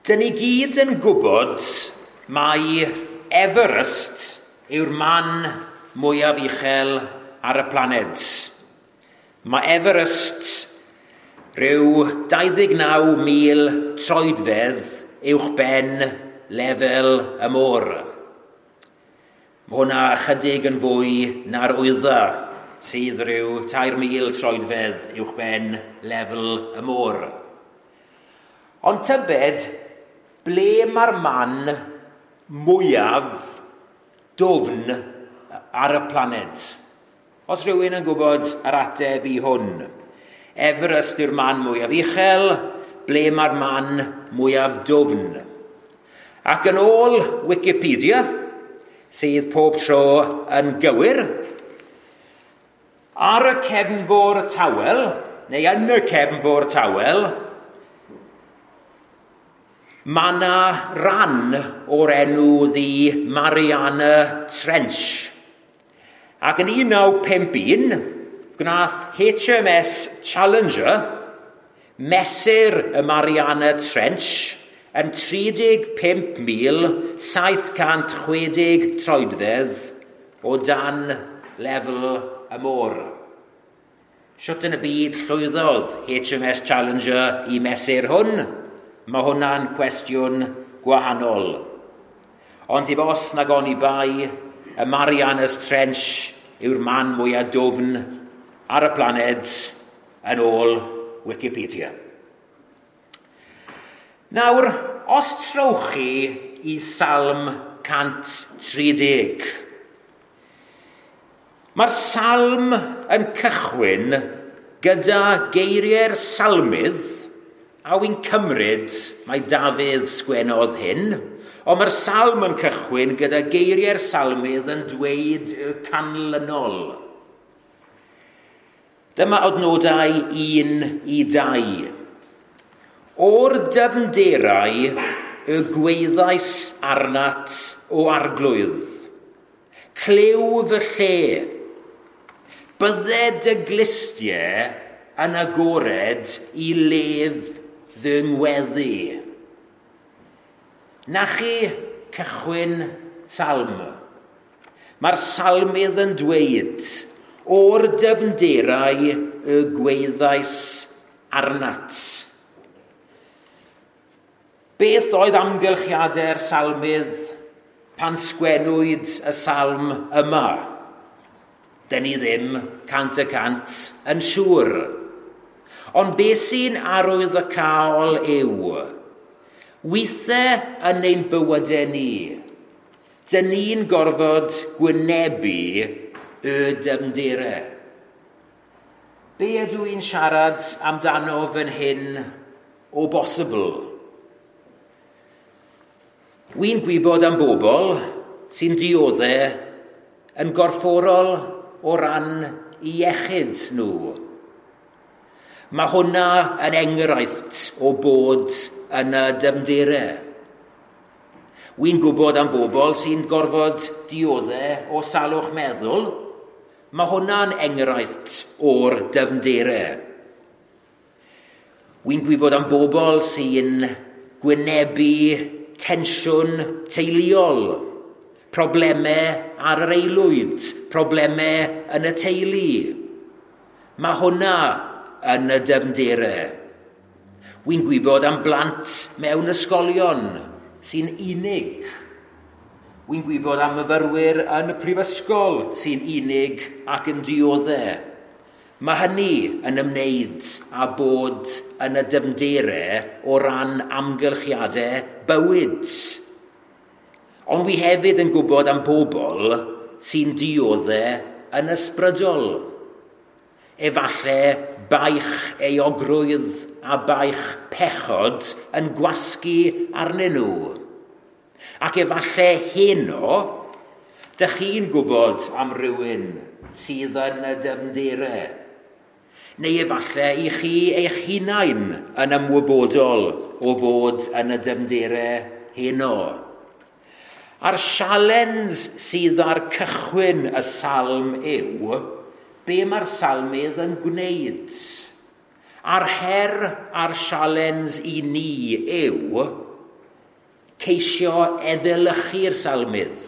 Dyn ni gyd yn gwybod mai Everest yw'r man mwyaf uchel ar y planed. Mae Everest rhyw 29,000 troedfedd uwch ben lefel y môr. Mae hwnna ychydig yn fwy na'r Wyddfa, sydd rhyw 3,000 troedfedd uwch ben lefel y môr. Ond tybed, ble mae'r man mwyaf dwfn ar y planed? Os rhywun yn gwybod yr ateb i hwn. Everest yw'r man mwyaf uchel, ble mae'r man mwyaf dwfn? Ac yn ôl Wikipedia, sydd pob tro yn gywir, ar y cefnfor tawel, neu yn y cefnfor tawel, mae yna ran o'r enw The Mariana Trench. Ac yn 1951, gwnaeth HMS Challenger mesur y Mariana Trench yn 35,760 troedfedd o dan lefel y môr. Shwt yn y byd llwyddodd HMS Challenger i mesur hwn? Mae hwnna'n cwestiwn gwahanol. Ond heb os nag oni bai, y Marianas Trench yw'r man mwyaf dwfn ar y planed yn ôl Wikipedia. Nawr, os trowch chi i Salm 130, mae'r salm yn cychwyn gyda geiriau'r salmydd, a wy'n cymryd mai Dafydd sgwennodd hyn, ond mae'r salm yn cychwyn gyda geiriau'r salmydd yn dweud y canlynol. Dyma adnodau 1 i 2. "O'r dyfnderau y gwaeddais arnat, O Arglwydd. Clyw fy lle. Bydded dy glustiau yn agored i lef fy ngweddi." Na chi cychwyn salm. Mae'r salmydd yn dweud, "O'r dyfnderau y gwaeddais arnat." Beth oedd amgylchiadau'r salmydd pan sgwennwyd y salm yma? Dyn ni ddim 100% yn siŵr. Ond beth sy'n arwyddocaol yw, weithiau yn ein bywydau ni, dyn ni'n gorfod gwynebu y dyfnderau. Be ydw i'n siarad amdano fan hyn o bosibl? Wy'n gwybod am bobl sy'n dioddef yn gorfforol o ran iechyd nhw. Mae hwnna yn enghraifft o bod yn y dyfnderau. Wy'n gwybod am bobl sy'n gorfod dioddef o salwch meddwl. Mae hwnna'n enghraifft o'r dyfnderau. Wy'n gwybod am bobl sy'n gwynebu tensiwn teuluol, problemau ar yr aelwyd, problemau yn y teulu. Mae hwnna yn y dyfnderau. Wy'n gwybod am blant mewn ysgolion sy'n unig. Wy'n gwybod am myfyrwyr yn y prifysgol sy'n unig ac yn dioddef. Mae hynny yn ymwneud â bod yn y dyfnderau o ran amgylchiadau bywyd. Ond wi hefyd yn gwybod am bobl sy'n dioddef yn ysbrydol. Efallai baich euogrwydd a baich pechod yn gwasgu arnyn nhw. Ac efallai heno, dych chi'n gwybod am rywun sydd yn y dyfnderau. Neu efallai i chi eich hunain yn ymwybodol o fod yn y dyfnderau heno. A'r sialens sydd ar cychwyn y salm yw, be mae'r salmydd yn gwneud? A'r her a'r sialens i ni yw, Ceisio eddylychu'r salmydd,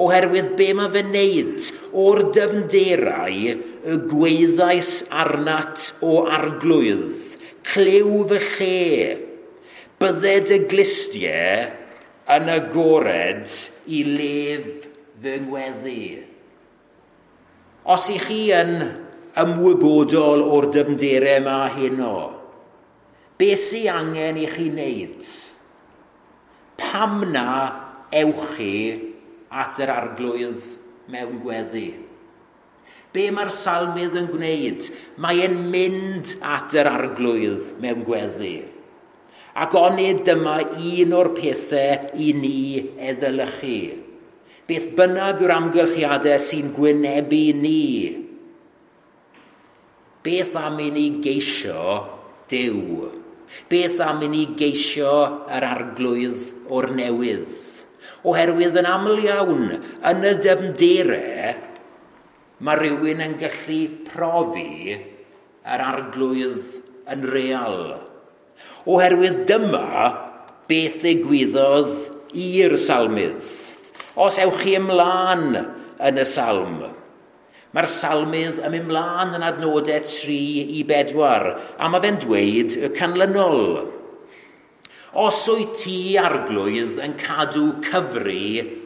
oherwydd be mae fe'n neud o'r dyfnderau y gweithais arnat o arglwydd, clyw fy lle, bydded y glustiau yn agored i lef fy ngweddi. Os i chi yn ymwybodol o'r dyfnderau yma heno, beth sy'n angen i chi wneud? Pam na ewch chi at yr arglwydd mewn gweddi? Be mae'r salmydd yn gwneud? Mae e'n mynd at yr arglwydd mewn gweddi. Ac onid dyma un o'r pethau i ni eddylychu. Beth bynnag yw'r amgylchiadau sy'n gwynebu ni. Beth am i ni geisio Duw? Beth am i ni geisio yr arglwydd o'r newydd? Oherwydd yn aml iawn, yn y dyfnderau, mae rhywun yn gallu profi yr arglwydd yn real. Oherwydd dyma beth ddigwyddodd i'r salmydd. Os ewch chi ymlaen yn y salm, mae'r salmydd yn mynd ymlaen yn adnodau 3 i 4, a mae fe'n dweud y canlynol. Os wyt ti arglwydd yn cadw cyfri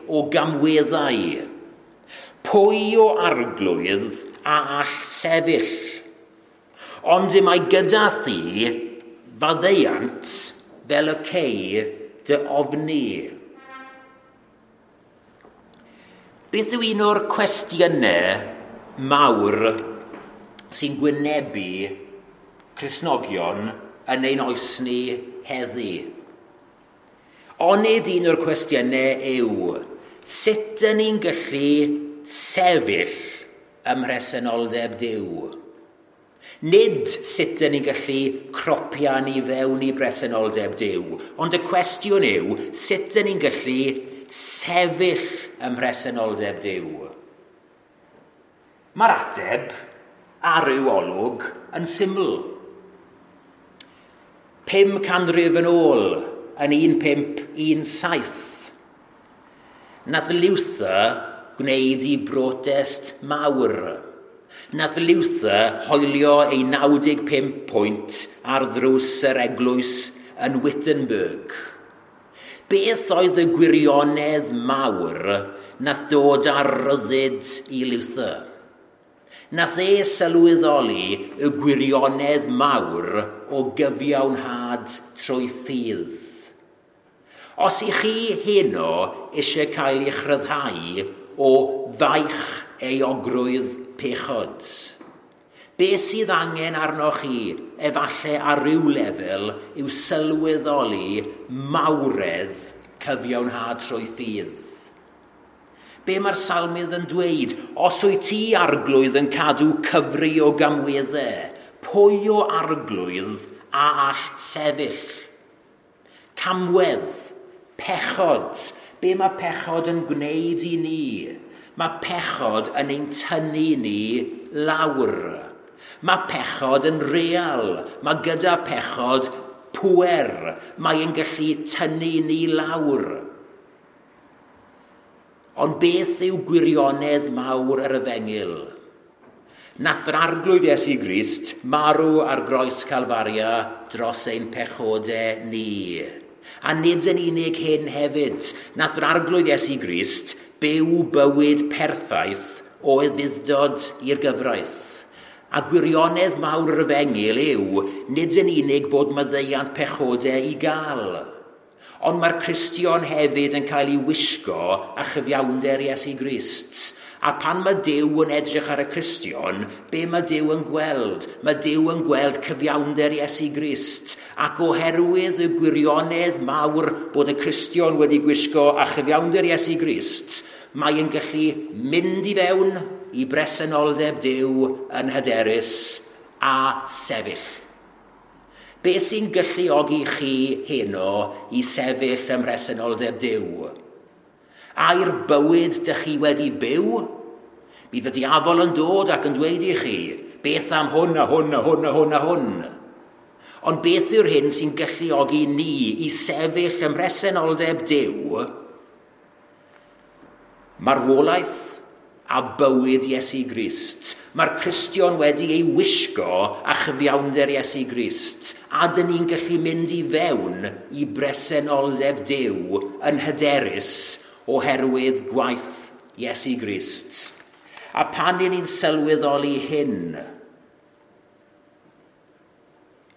o gamweddau, pwy o arglwydd a all sefyll? Ond y mae gyda thi faddeuant fel y cei dy ofni. Beth yw un o'r cwestiynau mawr sy'n gwynebu Cristnogion yn ein oes ni heddi? Onid un o'r cwestiynau yw, sut ydyn ni'n gallu sefyll ym mhresenoldeb Duw? Nid sut ydyn ni'n gallu cropian i fewn i bresenoldeb Duw, ond y cwestiwn yw, sut ydyn ni'n gallu sefyll ym mhresenoldeb Duw? Mae'r ateb ar ryw olwg yn syml. 5 canrif yn ôl, yn 1517, nath Luther gwneud i brotest mawr. Nath Luther hoelio ei 95 pwynt ar ddrws yr eglwys yn Wittenberg. Beth oedd y gwirionedd mawr nath dod ar ryddid i Luther? Nath e sylweddoli y gwirionedd mawr o gyfiawnhad trwy ffydd. Os i chi heno eisiau cael eich rhyddhau o faich euogrwydd pechod, beth sydd angen arnoch chi, efallai ar ryw lefel, yw sylweddoli mawredd cyfiawnhad trwy ffydd. Be mae'r salmydd yn dweud? Os wyt ti arglwydd yn cadw cyfri o gamweddau, pwy o arglwydd a all sefyll? Camwedd, pechod. Be mae pechod yn gwneud i ni? Mae pechod yn ein tynnu ni lawr. Mae pechod yn real. Mae gyda pechod pŵer. Mae e'n gallu tynnu ni lawr. Ond beth yw gwirionedd mawr yr efengyl? Nath yr arglwydd Iesu Grist marw ar groes Calfaria dros ein pechodau ni. A nid yn unig hyn hefyd, nath yr arglwydd Iesu Grist byw bywyd perffaith o ufudd-dod i'r gyfraith. A gwirionedd mawr yr efengyl yw nid yn unig bod maddeuant pechodau i gael, ond mae'r Cristion hefyd yn cael ei wisgo a chyfiawnder Iesu Grist. A pan mae Duw yn edrych ar y Cristion, be mae Duw yn gweld? Mae Duw yn gweld cyfiawnder Iesu Grist. Ac oherwydd y gwirionedd mawr bod y Cristion wedi gwisgo a chyfiawnder Iesu Grist, mae yn gallu mynd i fewn i bresenoldeb Duw yn hyderus a sefyll. Be sy'n galluogi chi heno i sefyll ym mhresenoldeb Duw? Ai'r bywyd dych chi wedi byw? Bydd y diafol yn dod ac yn dweud i chi, beth am hwn a hwn a hwn a hwn a hwn. Ond beth yw'r hyn sy'n galluogi ni i sefyll ym mhresenoldeb Duw? Marwolaeth a bywyd Iesu Grist. Mae'r Cristion wedi ei wisgo a chyfiawnder Iesu Grist. A dyn ni'n gallu mynd i fewn i bresenoldeb Duw yn hyderus oherwydd gwaith Iesu Grist. A pan ni'n sylweddoli hyn,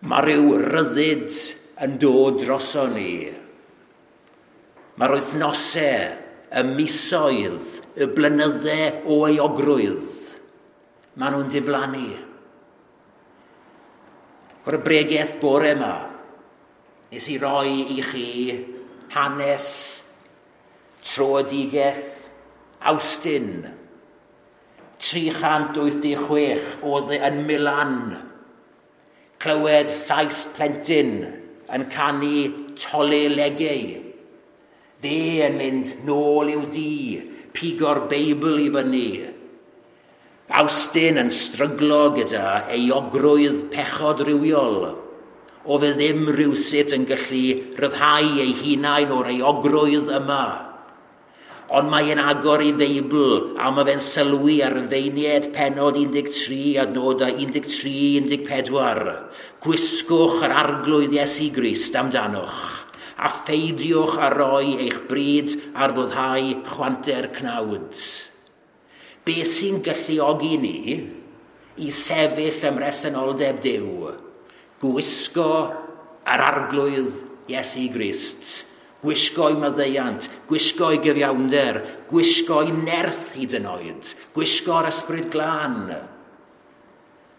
mae rhyw ryddid yn dod droso ni. Mae'r wythnosau, y misoedd, y blynydde o euogrwydd, maen nhw'n diflannu. O'r bregeth bore yma, nes i roi i chi hanes troedigaeth Awstin. 386 oedd yn Milan. Clywed llais plentyn yn canu Tolle Lege. Fe yn mynd nôl i'w dŷ, pigo'r Beibl i fyny. Awstin yn stryglo gyda euogrwydd pechod rhywiol. O fe ddim rhywsut yn gallu ryddhau ei hunain o'r euogrwydd yma. Ond mae'n agor ei Feibl a mae fe'n sylwi ar y Rhufeiniaid pennod 13 adnodau 13-14. Gwisgwch yr Arglwydd Iesu Grist amdanoch a pheidiwch a roi eich bryd ar foddhau chwanter cnawd. Be sy'n galluogi ni i sefyll ym mhresenoldeb Duw? Gwisgo yr Arglwydd Iesu Grist. Gwisgo ei maddeuant, gwisgo ei gyfiawnder, gwisgo ei nerth hyd yn oed, gwisgo'r Ysbryd Glân.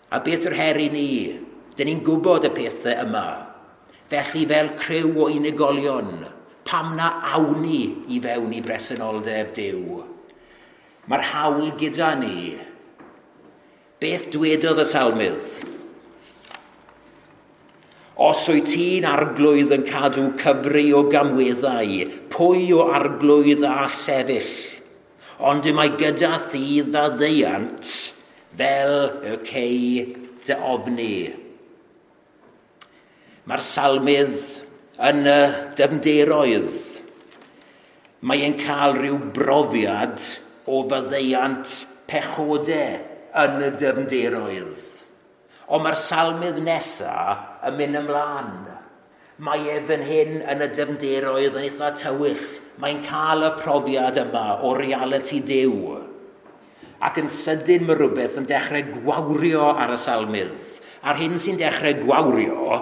A beth yw'r her i ni? Dyn ni'n gwybod y pethau yma. Felly fel criw o unigolion, pam na awn ni i fewn i bresenoldeb Duw? Mae'r hawl gyda ni. Beth dwedodd y salmydd? Os wyt ti'n Arglwydd yn cadw cyfri o gamweddau, pwy o Arglwydd a all sefyll? Ond y mae gyda thi faddeuant fel y cei dy ofni. Mae'r salmydd yn y dyfnderoedd. Mae e'n cael rhyw brofiad o faddeuant pechodau yn y dyfnderoedd. Ond mae'r salmydd nesaf yn mynd ymlaen. Mae e fan hyn yn y dyfnderoedd yn eitha tywyll. Mae'n cael y profiad yma o realiti Duw. Ac yn sydyn mae rhywbeth yn dechrau gwawrio ar y salmydd. A'r hyn sy'n dechrau gwawrio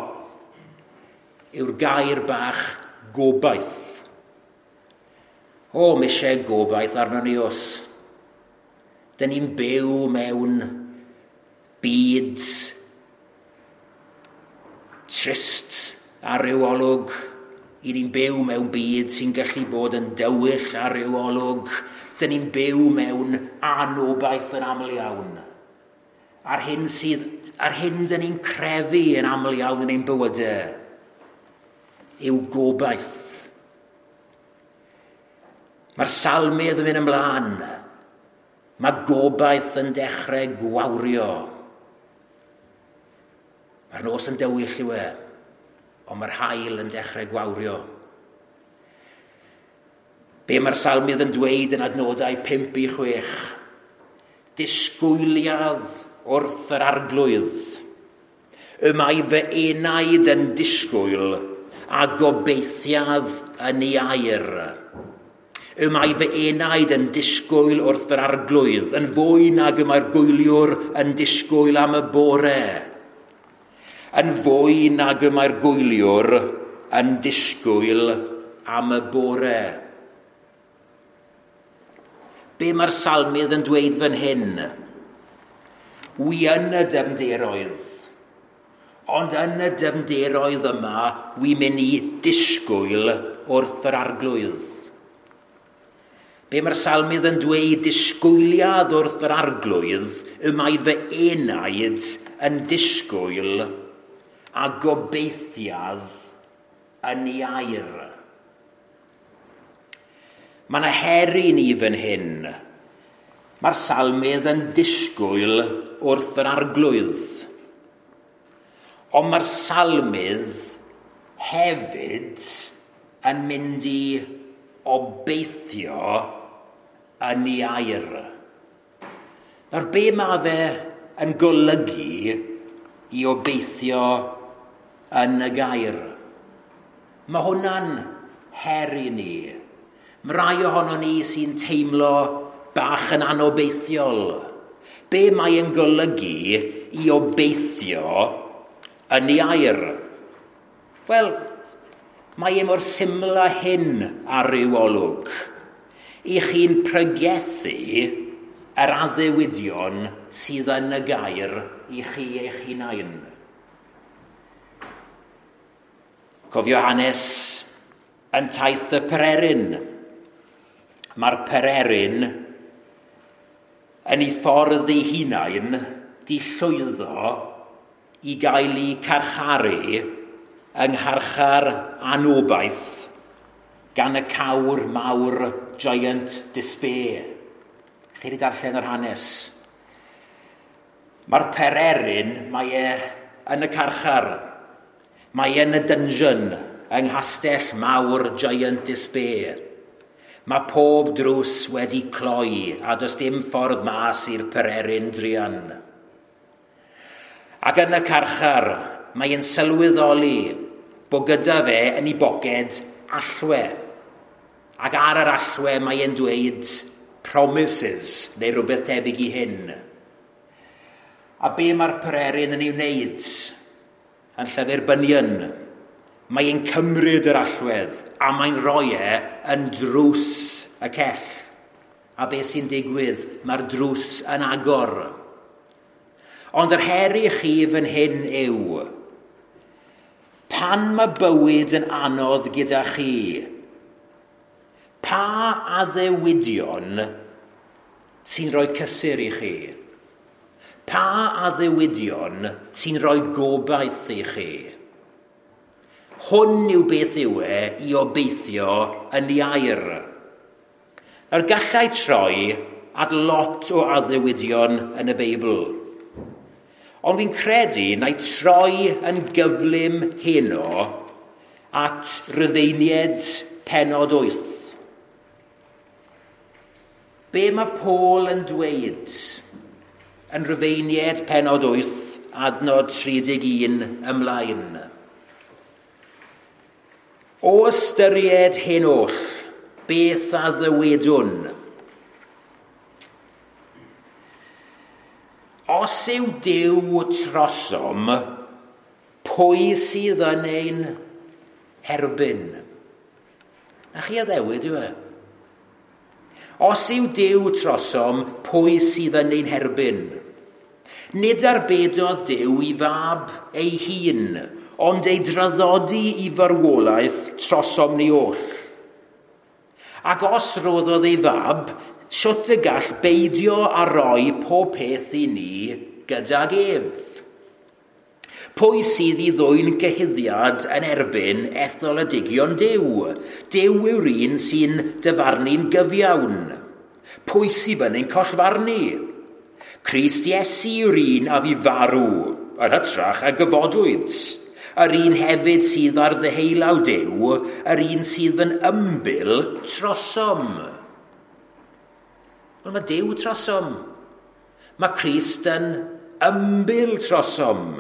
yw'r gair bach gobaith. O, mae eisiau gobaith arno ni os. Dyn ni'n byw mewn byd trist ar ryw olwg. I ni'n byw mewn byd sy'n gallu bod yn dywyll ar ryw olwg. Dyn ni'n byw mewn anobaith yn aml iawn. A'r hyn dyn ni'n crefu yn aml iawn yn ein bywydau yw gobaith. Mae'r salmydd yn mynd ymlaen. Mae gobaith yn dechrau gwawrio. Mae'r nos yn dywyll yw e, ond mae'r haul yn dechrau gwawrio. Be mae'r salmydd yn dweud yn adnodau 5-6? Disgwyliad wrth yr Arglwydd. Y mae fy enaid yn disgwyl a gobeithiad yn ei air. Y mae fy enaid yn disgwyl wrth yr Arglwydd, yn fwy nag y mae'r gwyliwr yn disgwyl am y bore. Yn fwy nag y mae'r gwyliwr yn disgwyl am y bore. Be mae'r salmydd yn dweud fan hyn? Wi yn y dyfnderoedd. Ond yn y dyfnderoedd yma, wi mynd i disgwyl wrth yr Arglwydd. Be mae'r salmydd yn dweud disgwyliad wrth yr Arglwydd, y mae fy enaid yn disgwyl a gobeithiad yn ei air. Mae yna her i ni fan hyn. Mae'r salmydd yn disgwyl wrth yr Arglwydd. Ond mae'r salmydd hefyd yn mynd i obeithio yn ei air. Nawr, be mae fe yn golygu i obeithio yn y gair? Mae hwnna'n her i ni. Mae rai ohono ni sy'n teimlo bach yn anobeithiol. Be mae e'n golygu i obeithio yn ei air? Wel, mae e mor syml â hyn ar ryw olwg. I chi'n pregethu yr addewidion sydd yn y gair i chi eich hunain. Cofio hanes yn taith y pererin. Mae'r pererin yn ei ffordd ei hunain di llwyddo i gael ei carcharu yng ngharchar anobaith gan y cawr mawr Giant Despair. Chi wedi darllen yr hanes. Mae'r pererin, mae e yn y carchar. Mae e yn y dungeon yng nghastell mawr Giant Despair. Mae pob drws wedi cloi a does dim ffordd mas i'r pererin druan. Ac yn y carchar, mae e'n sylweddoli bod gyda fe yn ei boced allwe. Ac ar yr allwe mae e'n dweud promises neu rhywbeth tebyg i hyn. A be mae'r pererin yn ei wneud yn llyfr Bunyan? Mae e'n cymryd yr allwedd a mae'n rhoi e yn drws y cell. A be sy'n digwydd? Mae'r drws yn agor. Ond yr her i chi fan hyn yw, pan mae bywyd yn anodd gyda chi, pa addewidion sy'n rhoi cysur i chi? Pa addewidion sy'n rhoi gobaith i chi? Hwn yw beth yw e i obeithio yn ei air. Nawr gallai troi at lot o addewidion yn y Beibl. Ond fi'n credu na i troi yn gyflym heno at Rufeiniaid pennod 8. Be mae Paul yn dweud yn Rufeiniaid pennod 8, adnod 31 ymlaen? O ystyried hyn oll, beth a ddywedwn? Os yw Duw trosom, pwy sydd yn ein herbyn? Na chi addewid yw e? Os yw Duw trosom, pwy sydd yn ein herbyn? Nid arbedodd Duw i fab ei hun, ond ei draddodi i farwolaeth trosom ni oll. Ac os roddodd ei fab, sut y gall beidio a roi pob peth i ni gydag ef? Pwy sydd i ddwyn cyhuddiad yn erbyn etholedigion Duw? Duw yw'r un sy'n dyfarnu'n gyfiawn. Pwy sydd yn ein collfarnu? Crist Iesu yw'r un a fu farw, yn hytrach a gyfodwyd. Yr un hefyd sydd ar ddeheulaw Duw, yr un sydd yn ymbil trosom. Wel, mae Duw trosom. Mae Crist yn ymbil trosom.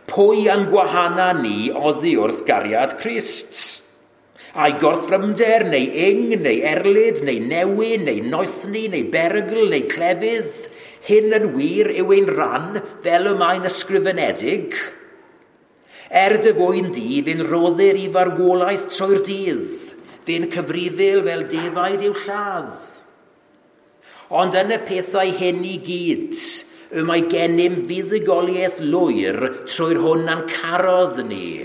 Pwy a'n gwahana ni oddi wrth gariad Crist? Ai gorthrymder, neu ing, neu erlid, neu newyn, neu noethni, neu berygl, neu clefydd? Hyn yn wir yw ein rhan fel y mae'n ysgrifenedig. Er dy fwyn di, fe'n roddir i farwolaeth trwy'r dydd, fe'n cyfrifil fel defaid i'w lladd. Ond yn y pethau hyn i gyd, y mae gennym fuddugoliaeth lwyr trwy'r hwn a'n carodd ni.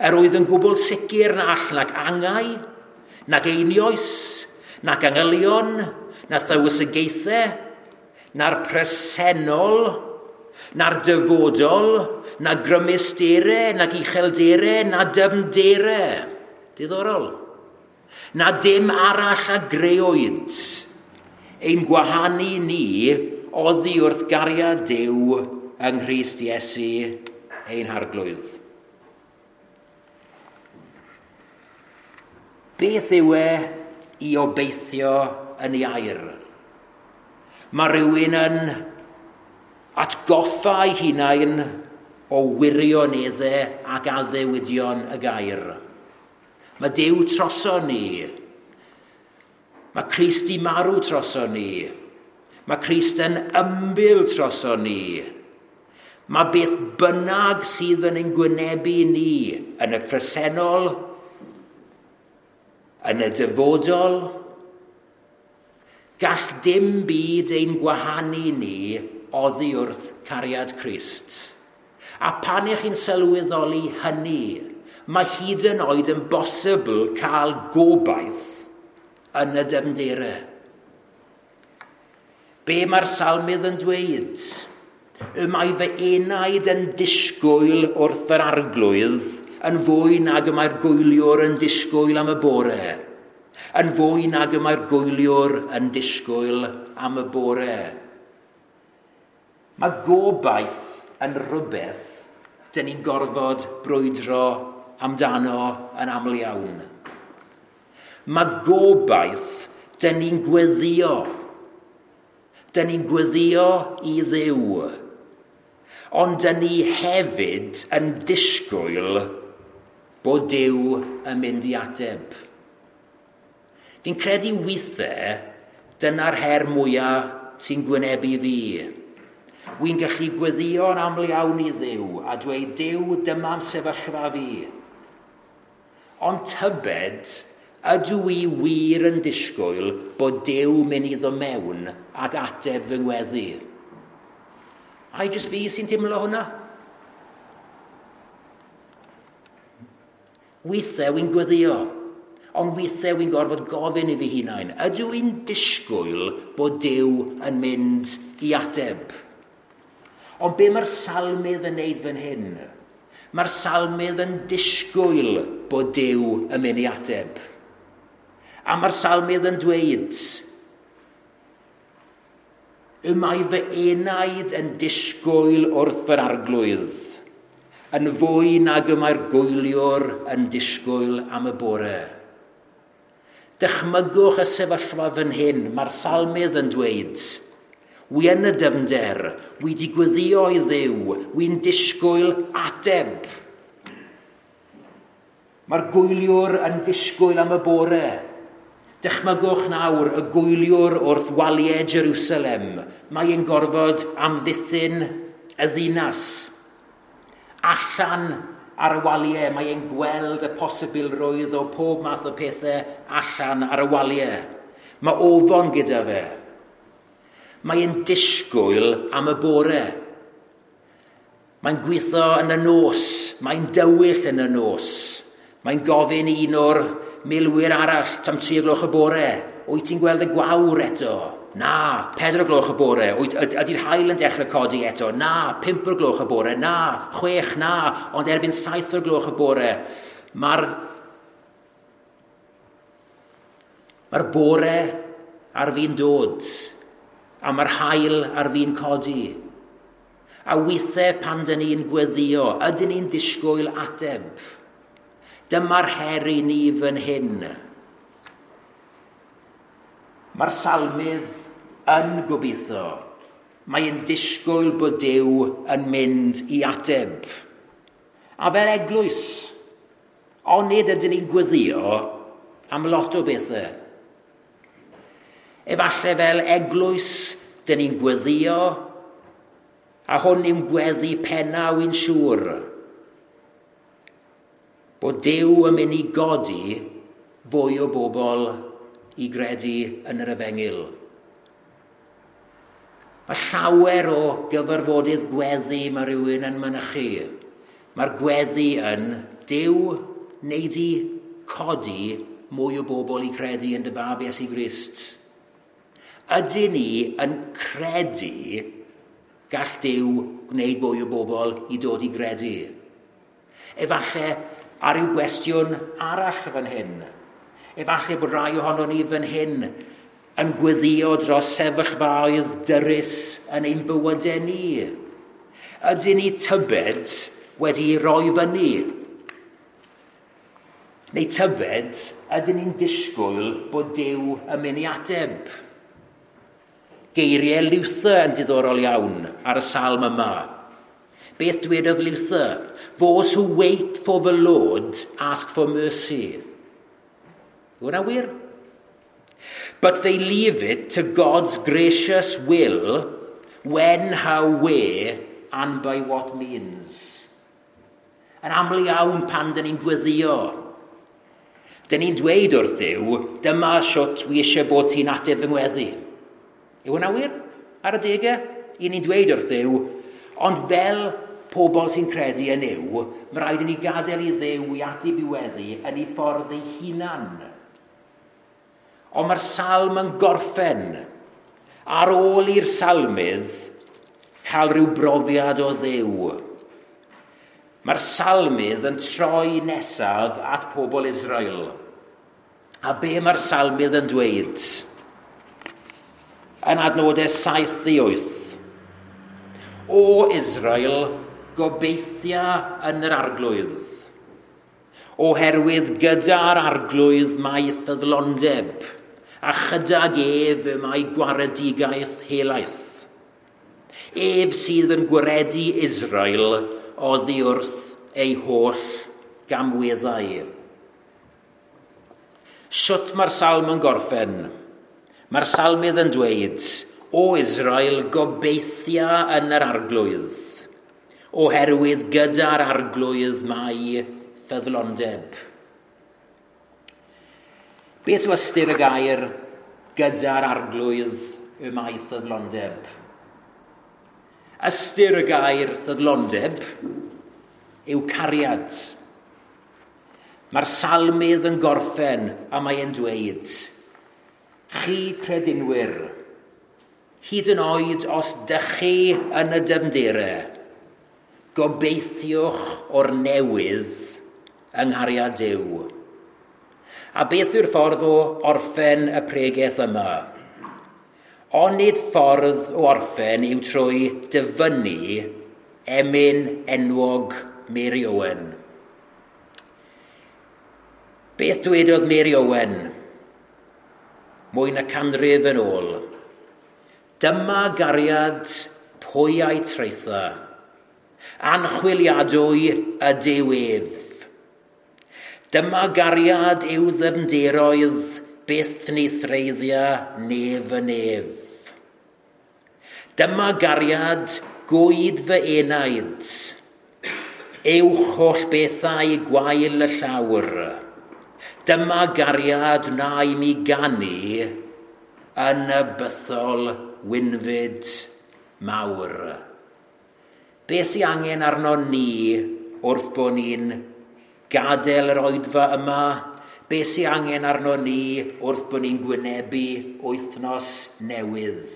Yr oedd yn gwbl sicr na all nac angau, nac einioes, nac angylion, na thywysogaethau, na'r presennol, na'r dyfodol, na grymustere, nac ucheldere, na dyfndere. Diddorol. Na dim arall a greoed ein gwahanu ni oddi wrth gariad Duw yng Nghrist Iesu ein Harglwydd. Beth yw e i obeithio yn ei air? Mae rhywun yn atgoffa ei hunain o wirioneddau ac addewidion y gair. Mae Duw troso ni. Mae Crist i marw troso ni. Mae Crist yn ymbil troso ni. Mae beth bynnag sydd yn ein gwynebu ni yn y presennol, yn y dyfodol, gall dim byd ein gwahanu ni oddi wrth cariad Crist. A pan ych chi'n sylweddoli hynny, mae hyd yn oed yn bosibl cael gobaith yn y dyfnderau. Be mae'r salmydd yn dweud? Y mae fy enaid yn disgwyl wrth yr Arglwydd yn fwy nag y mae'r gwyliwr yn disgwyl am y bore. Yn fwy nag y mae'r gwyliwr yn disgwyl am y bore. Mae gobaith yn rhywbeth dyn ni'n gorfod brwydro amdano yn aml iawn. Mae gobaith dyn ni'n gweddio. Dyn ni'n gweddio i Dduw. Ond dyn ni hefyd yn disgwyl bod Duw yn mynd i ateb. Fi'n credu weithiau dyna'r her mwyaf sy'n gwynebu fi. Wy'n gallu gweddïo'n aml iawn i Dduw a dweud, Duw, dyma'n sefyllfa fi. Ond tybed, ydw i wir yn disgwyl bod Duw mynd i ddod mewn ac ateb fy ngweddi? Ai jyst fi sy'n teimlo hwnna? Weithiau wy'n gweddio, ond weithiau wy'n gorfod gofyn i fi hunain. Ydw i'n disgwyl bod Duw yn mynd i ateb? Ond be mae'r salmydd yn neud fan hyn? Mae'r salmydd yn disgwyl bod Duw yn mynd i ateb. A mae'r salmydd yn dweud, y mae fy enaid yn disgwyl wrth yr Arglwydd, yn fwy nag y mae'r gwyliwr yn disgwyl am y bore. Dychmygwch y sefyllfa fan hyn, mae'r salmydd yn dweud, wi yn y dyfnder, wi di gweddio i Dduw, wi'n disgwyl ateb. Mae'r gwyliwr yn disgwyl am y bore. Dychmygwch nawr y gwyliwr wrth waliau Jerusalem. Mae e'n gorfod amddiffyn y ddinas. Allan ar y waliau, mae e'n gweld y posibilrwydd o pob math o pethau allan ar y waliau. Mae ofon gyda fe. Mae e'n disgwyl am y bore. Mae'n gweithio yn y nos, mae'n dywyll yn y nos. Mae'n gofyn i un o'r milwyr arall tam 3 gloch y bore. Wyt ti'n gweld y gwawr eto? Na, 4 gloch y bore. Ydy'r haul yn dechrau codi eto? Na, 5 gloch y bore. Na, 6, na, ond erbyn 7 gloch y bore. Mae'r bore ar fin dod, a mae'r haul ar fin codi. A weithiau pan dyn ni'n gweddio, ydyn ni'n disgwyl ateb? Dyma'r her i ni fan hyn. Mae'r salmydd yn gobeithio. Mae'n disgwyl bod Duw yn mynd i ateb. A fel eglwys, onid ydyn ni'n gweddio am lot o bethau. Efallai fel eglwys, dyn ni'n gweddio, a hwn yw'n gweddi penna wy'n siŵr, bod Duw yn mynd i godi fwy o bobl i gredu yn yr efengyl. Mae llawer o gyfarfodydd gweddi mae rhywun yn mynychu. Mae'r gweddi yn Duw wneud i codi mwy o bobl i credu yn dy fab Iesu Grist. Ydyn ni yn credu gall Duw gwneud fwy o bobl i dod i gredu? Efallai ar ryw gwestiwn arall fan hyn. Efallai bod rai ohonon ni fan hyn yn gweddio dros sefyllfaoedd dyrys yn ein bywydau ni. Ydyn ni tybed wedi roi fyny? Neu tybed, ydyn ni'n disgwyl bod Duw yn mynd i ateb? Geiriau Luther yn diddorol iawn ar y salm yma. Beth dwedodd Luther? "Those who wait for the Lord ask for mercy." Yw hwnna wir? "But they leave it to God's gracious will when, how, where and by what means." Yn aml iawn pan dyn ni'n gweddio, dyn ni'n dweud wrth Duw, "Dyma siwt wi eisiau bod ti'n ateb fy ngweddi." Yw hwnna wir? Ar adegau? I ni'n dweud wrth Dduw, ond fel pobl sy'n credu yn Nuw, mae rhaid i ni gadael i Dduw i ateb i weddi yn ei ffordd ei hunan. Ond mae'r salm yn gorffen ar ôl i'r salmydd cael rhyw brofiad o Dduw. Mae'r salmydd yn troi nesaf at pobl Israel. A be mae'r salmydd yn dweud? Yn adnodau 7 i 8. "O Israel, gobeithia yn yr Arglwydd. Oherwydd gyda'r Arglwydd mae ffyddlondeb, a chydag ef y mae gwaredigaeth helaeth. Ef sydd yn gwaredu Israel oddi wrth ei holl gamweddau." Siwt mae'r salm yn gorffen? Mae'r salmydd yn dweud, "O Israel, gobeithia yn yr Arglwydd, oherwydd gyda'r Arglwydd mae ffyddlondeb." Beth yw ystyr y gair "gyda'r Arglwydd y mae ffyddlondeb"? Ystyr y gair "ffyddlondeb" yw cariad. Mae'r salmydd yn gorffen a mae'n dweud, chi credinwyr, hyd yn oed os dych chi yn y dyfnderau, gobeithiwch o'r newydd yng nghariad Duw. A beth yw'r ffordd o orffen y pregeth yma? Onid ffordd o orffen yw trwy dyfynnu emyn enwog Mary Owen? Beth dwedodd Mary Owen mwy na canrif yn ôl? "Dyma gariad, pwy a'i traetha? Anchwiliadwy ydyw ef. Dyma gariad i'w ddyfnderoedd, byth ni threiddia nef y nef. Dyma gariad, gwyd fy enaid, uwch holl bethau gwael y llawr. Dyma gariad wna i mi ganu yn y bythol wynfyd mawr." Be sy'n angen arno ni wrth bod ni'n gadael yr oedfa yma? Be sy'n angen arno ni wrth bod ni'n gwynebu wythnos newydd?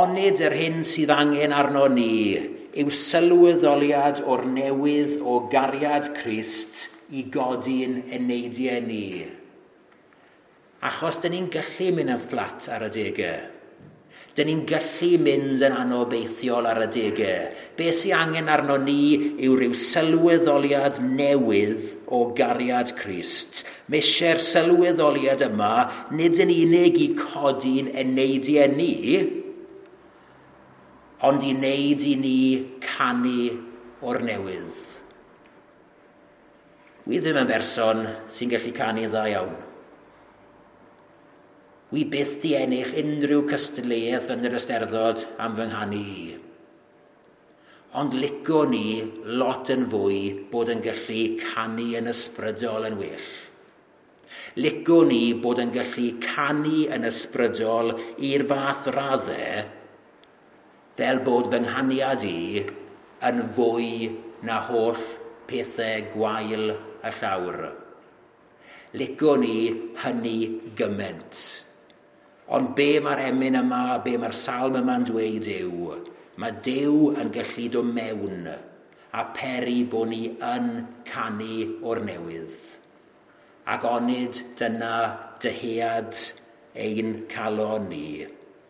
Onid yr hyn sydd angen arno ni yw sylweddoliad o'r newydd o gariad Crist i godi'n eneidiau ni? Achos dyn ni'n gallu mynd yn fflat ar adegau. Dyn ni'n gallu mynd yn anobeithiol ar adegau. Be sy'n angen arno ni yw rhyw sylweddoliad newydd o gariad Crist. Mae eisiau'r sylweddoliad yma nid yn unig i codi'n eneidiau ni, ond i wneud i ni canu o'r newydd. Wi ddim yn berson sy'n gallu canu dda iawn. Wi byth di ennill unrhyw cystadleuaeth yn yr Eisteddfod am fy nghanu i. Ond lico ni lot yn fwy bod yn gallu canu yn ysbrydol yn well. Lico ni bod yn gallu canu yn ysbrydol i'r fath raddau fel bod fy nghaniad i yn fwy na holl pethau gwael y llawr. Lico ni hynny gymaint. Ond be mae'r emyn yma, be mae'r salm yma'n dweud yw, mae Duw yn gallu dod mewn a peri bod ni yn canu o'r newydd. Ac onid dyna dyhead ein calon ni?